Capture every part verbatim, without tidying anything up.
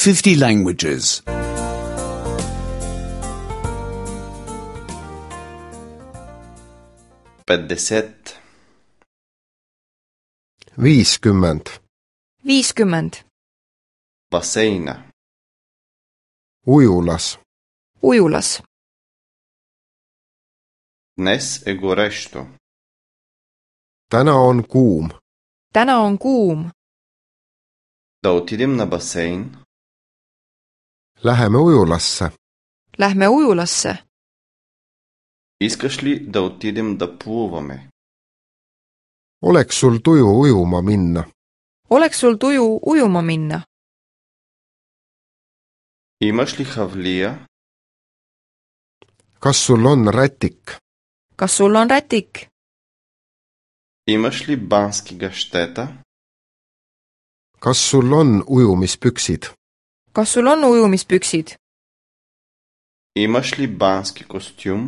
fifty languages. pettdesett, viiskümmend, viiskümmend, basseina, ujulas, ujulas, dnes е горещо, täna on kuum, täna on kuum, да отидем на басейн, läheme ujulasse, lähme ujulasse, искаш ли да отидем да плуваме, oleks sul tuju ujuma minna, oleks sul tuju ujuma minna, имаш ли хавлия, kas sul on rätik, kas sul on rätik, имаш ли бански гащета, kas sul on ujumispüksid, kas sul on ujumispüksid, имаш ли бански костюм,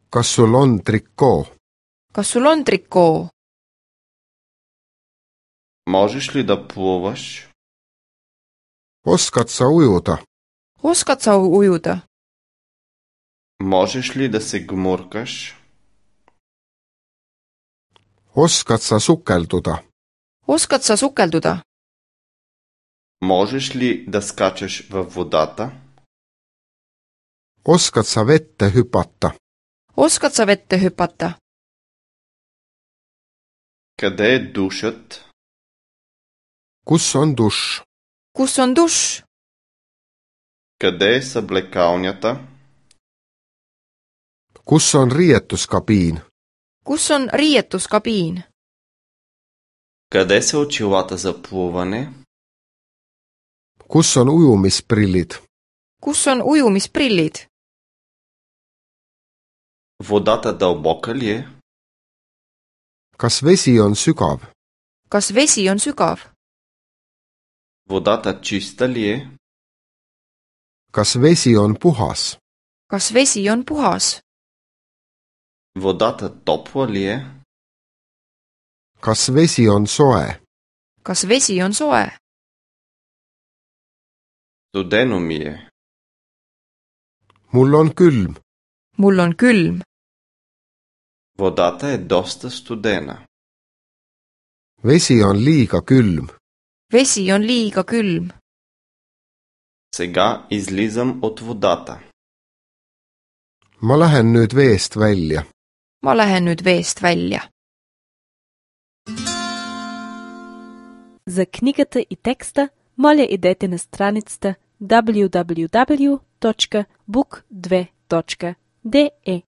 kas sul on trikoo, kas sul on trikoo, можеш ли да плуваш, oskad sa ujuda, oskad sa ujuda, можеш ли да се гмуркаш, oskad sa sukelduda, oskad sa sukelduda, можеш ли да скачаш във водата, oskad sa vette hüpata, oskad sa vette hüpata, къде е душът, kus on dušš, kus on dušš, къде е съблекалнята, kus on riietuskabiin, kus on riietuskabiin, къде са очилата за плуване, kus on ujumisprillid, kus on ujumisprillid, водата дълбока ли е, kas vesi on sügav, kas vesi on sügav, водата чиста ли е, kas vesi on puhas, kas vesi on puhas, водата топла ли е, kas vesi on soe, kas vesi on soe, студено ми е, mul on külm, mul on külm, водата е доста студена, vesi on liiga külm, vesi on liiga külm, сега излизам от водата, ma lähen nüüd veest välja. ma lähen nüüd veest välja. За книгата и текста, моля идете на страницата даблю даблю даблю точка бук две точка де